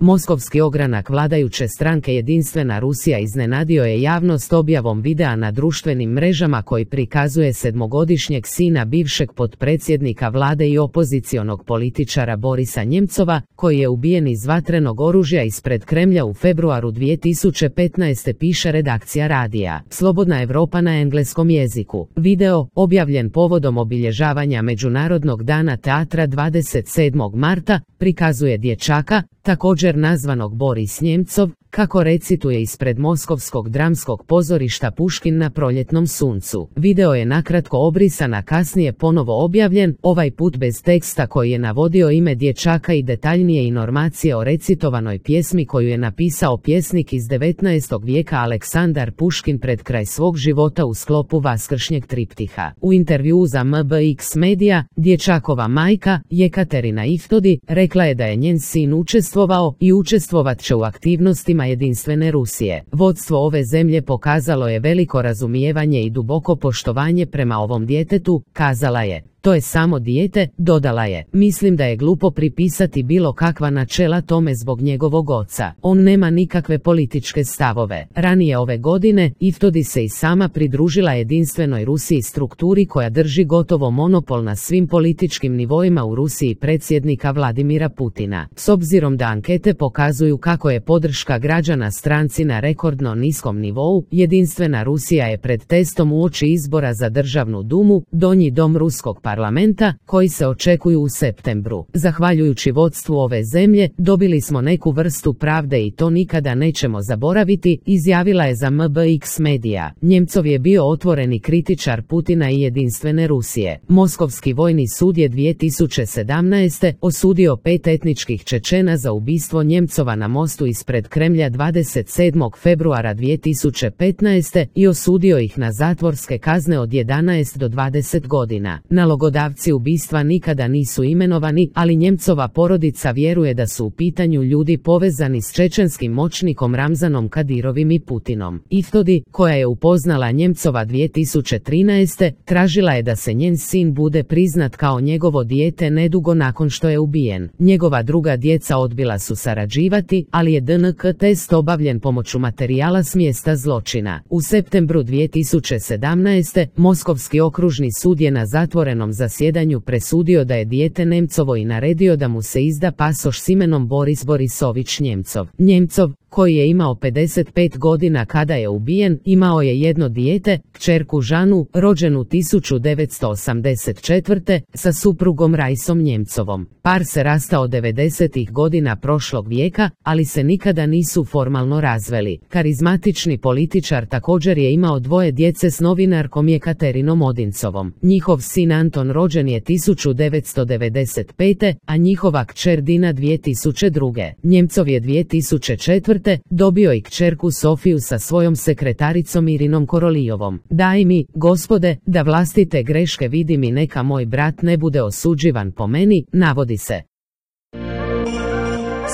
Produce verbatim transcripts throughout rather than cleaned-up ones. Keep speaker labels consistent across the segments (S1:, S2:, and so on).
S1: Moskovski ogranak vladajuće stranke Jedinstvena Rusija iznenadio je javnost objavom videa na društvenim mrežama koji prikazuje sedmogodišnjeg sina bivšeg potpredsjednika vlade i opozicionog političara Borisa Njemcova, koji je ubijen iz vatrenog oružja ispred Kremlja u februaru dvije tisuće petnaeste, piše redakcija radija Slobodna Europa na engleskom jeziku. Video, objavljen povodom obilježavanja Međunarodnog dana teatra dvadeset sedmog marta, prikazuje dječaka, također nazvanog Boris Njemcov, kako recituje ispred Moskovskog dramskog pozorišta Puškin na proljetnom suncu. Video je nakratko obrisan, a kasnije ponovo objavljen, ovaj put bez teksta koji je navodio ime dječaka i detaljnije informacije o recitovanoj pjesmi koju je napisao pjesnik iz devetnaestog vijeka Aleksandar Puškin pred kraj svog života u sklopu vaskršnjeg triptiha. U intervjuu za M B X Media, dječakova majka, Jekaterina Iftodi, rekla je da je njen sin učestvovao i učestvovat će u aktivnostima Jedinstvene Rusije. Vodstvo ove zemlje pokazalo je veliko razumijevanje i duboko poštovanje prema ovom djetetu, kazala je. To je samo dijete, dodala je. Mislim da je glupo pripisati bilo kakva načela tome zbog njegovog oca. On nema nikakve političke stavove. Ranije ove godine, Iftodi se i sama pridružila Jedinstvenoj Rusiji, strukturi koja drži gotovo monopol na svim političkim nivoima u Rusiji predsjednika Vladimira Putina. S obzirom da ankete pokazuju kako je podrška građana stranci na rekordno niskom nivou, Jedinstvena Rusija je pred testom uoči izbora za Državnu dumu, donji dom ruskog parlamenta, parlamenta, koji se očekuju u septembru. Zahvaljujući vodstvu ove zemlje, dobili smo neku vrstu pravde i to nikada nećemo zaboraviti, izjavila je za M B X Media. Njemcov je bio otvoreni kritičar Putina i Jedinstvene Rusije. Moskovski vojni sud je dvije tisuće sedamnaeste. osudio pet etničkih Čečena za ubistvo Njemcova na mostu ispred Kremlja dvadeset sedmog februara dvije tisuće petnaeste. i osudio ih na zatvorske kazne od jedanaest do dvadeset godina. Nalogodavci ubistva nikada nisu imenovani, ali Njemcova porodica vjeruje da su u pitanju ljudi povezani s čečenskim moćnikom Ramzanom Kadirovim i Putinom. Iftodi, koja je upoznala Njemcova dvije tisuće trinaeste. tražila je da se njen sin bude priznat kao njegovo dijete nedugo nakon što je ubijen. Njegova druga djeca odbila su sarađivati, ali je D N K test obavljen pomoću materijala s mjesta zločina. U septembru dvije tisuće sedamnaeste. Moskovski okružni sud je na zatvorenom zasjedanju presudio da je dijete Nemcovo i naredio da mu se izda pasoš s imenom Boris Borisović Njemcov. Njemcov, koji je imao pedeset pet godina kada je ubijen, imao je jedno dijete, kćerku Žanu, rođenu tisuću devetsto osamdeset četvrte. sa suprugom Rajsom Njemcovom. Par se rastao devedesetih godina prošlog vijeka, ali se nikada nisu formalno razveli. Karizmatični političar također je imao dvoje djece s novinarkom Jekaterinom Odincovom. Njihov sin Anton rođen je tisuću devetsto devedeset pete. a njihova kćer Dina dvije tisuće druge. Njemcov je dvije tisuće četvrte. dobio i kćerku Sofiju sa svojom sekretaricom Irinom Korolijovom. Daj mi, Gospode, da vlastite greške vidim i neka moj brat ne bude osuđivan po meni, navodi se.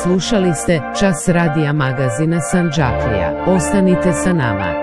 S1: Slušali ste Čas radija magazina Sandžaklija. Ostanite sa nama.